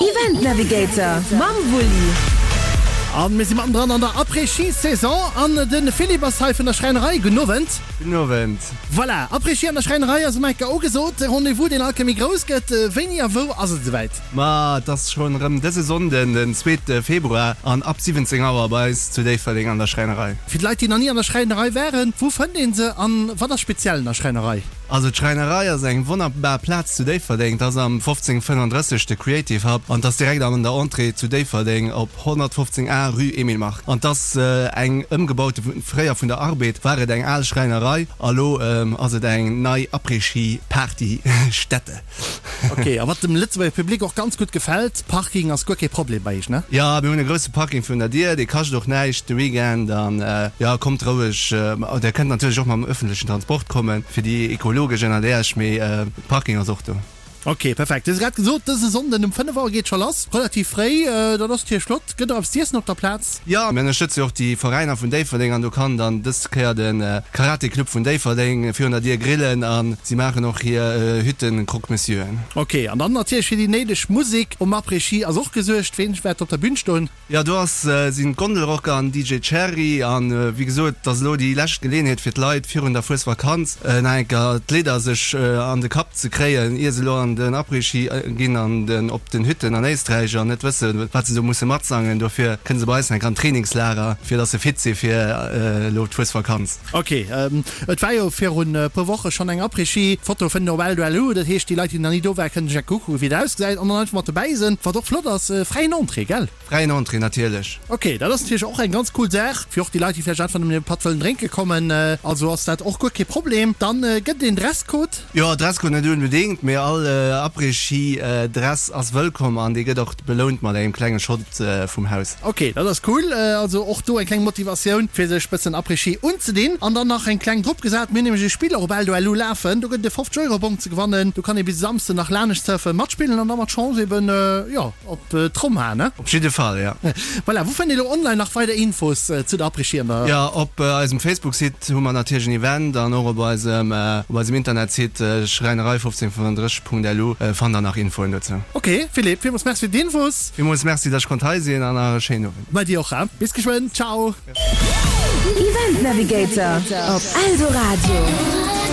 Event Navigator mam Wulli. An mir si mattendran an der Après-Ski-Saison an de Philippe ass hei vun der Schräinerei. Gudden Owend. Gudden Owend. Voilà, Après-Ski an der Schräinerei ass um enker ugesot. E Rendez-vous, deen all Kéier méi grouss gëtt. Wéini a wou ass et esouwäit? Ma et ass schonn erëm dëse Sonnden, den zweete Februar an ab 17 Auer bei eis zu Déifferdeng an der Schräinerei. Fir d'Leit, déi nach ni an der Schräinerei waren, wou fënnt een se an wat ass speziell un der Schräinerei? Also d'Schräinerei ass eng wonnerbar Plaz zu Déifferdeng. Et ass am 1535 de Creative Hub an et ass direkt an der Entrée zu Déifferdeng op 115 A Rue Emile Mark. An et ass eng ëmgebaute, fréier vun der Arbed war et eng al Schräinerei a lo ass et eng nei Après-Ski Party Stätte. Ok, a wat dem Lëtzebuerger Public och ganz gutt gefält, Parking ass guer kee Problem bei iech, ne? Jo, mir hunn e grousse Parking virun der Dier, dee kascht och näischt de Weekend an jo, kommt roueg. Der kënnt natierlech och mam ëffentlechen Transport kommen, fir déi ekologesch ënnert Iech, mee Parking ass och do. Ok, perfekt. Du hues grad gesot, dëse Sonnden um 5 Auer geet scho lass, relativ fréi, dat ass natierlech flott. Gëtt och eppes z'iessen op der Plaz? Jo, mir ënnerstëtze jo och déi Veräiner vun Déifferdeng an do kann dann dës Kéier de Karate Club vun Déifferdeng virun der Dier grillen a si maachen och hir Hütten Croque Monsieuren. Ok, an dann natierlech fir déi néideg Musek um Après-Ski ass och gesuergt. Ween wäert op der Bühn stoen? Jo, do ass sinn d'Gondelrocker an DJ Cherry an wéi gesot, et ass elo déi lescht Geleeënheet fir d'Leit virun der Fuesvakanz nach eng Kéier d'Lidder sech an de Kapp ze kréien, ier se elo an den Après-Ski ginn an den op den Hütten an Éisträich an net wëssen, wat se do musse matsangen. Dofir kënne se bei eis nach eng Kéier an d'Trainingslager, fir dass se fit si fir elo d'Fuesvakanz. Ok, et war jo virun e puer Woche schonn eng Après-Ski. D'Foto fënnt een op Eldo.lu. Dat heescht, déi Leit, déi nach ni do waren, kënnen sech eng kucken, wéi et ausgesäit an dann einfach mat dobäi sinn. Wat och flott ass, fräien Entrée, gell? Fräien Entrée, natierlech. Ok, dat ass natierlech och eng ganz cool Saach, fir och déi Leit, déi vläicht einfach nëmmen e Patt wëllen drénke kommen. Also ass dat och guer kee Problem. Dann gëtt et een Dresscode. Jo, Dresscode net onbedéngt, mee all Après-Ski Dress ass wëllkomm an dee gëtt och belount mat engem klenge Shot vum Haus. Ok, dat ass cool. Also och do eng kleng Motivatioun fir sech bëssen Après-Ski unzedinn. An dann nach eng kleng drop gesat, mir hunn nämlech e Spill och op Eldo.lu lafen, do gëtt et e 50 Euro Bong ze gewannen. Do kann ee bis e Samsden nach lanescht surfen, matspillen an da mat Chance eben, jo, op d'Tromm haen, ne? Op jidde Fall, jo. Voilà, wou fënnt ee lo online nach weider Infos zu der Après-Ski an der. Jo, op eisem Facebook-Site hu mer natierlech en Event an och op eisem op eisem Internetsite schräinerei1535.lu fannt der nach Infoen dozou. Ok, Philippe, villmools Merci fir d'Infos. Villmools Merci, dass ech konnt hei sinn an nach e schéinen Owend. Bei dir och, bis geschwënn, ciao. Event Navigator op Eldoradio.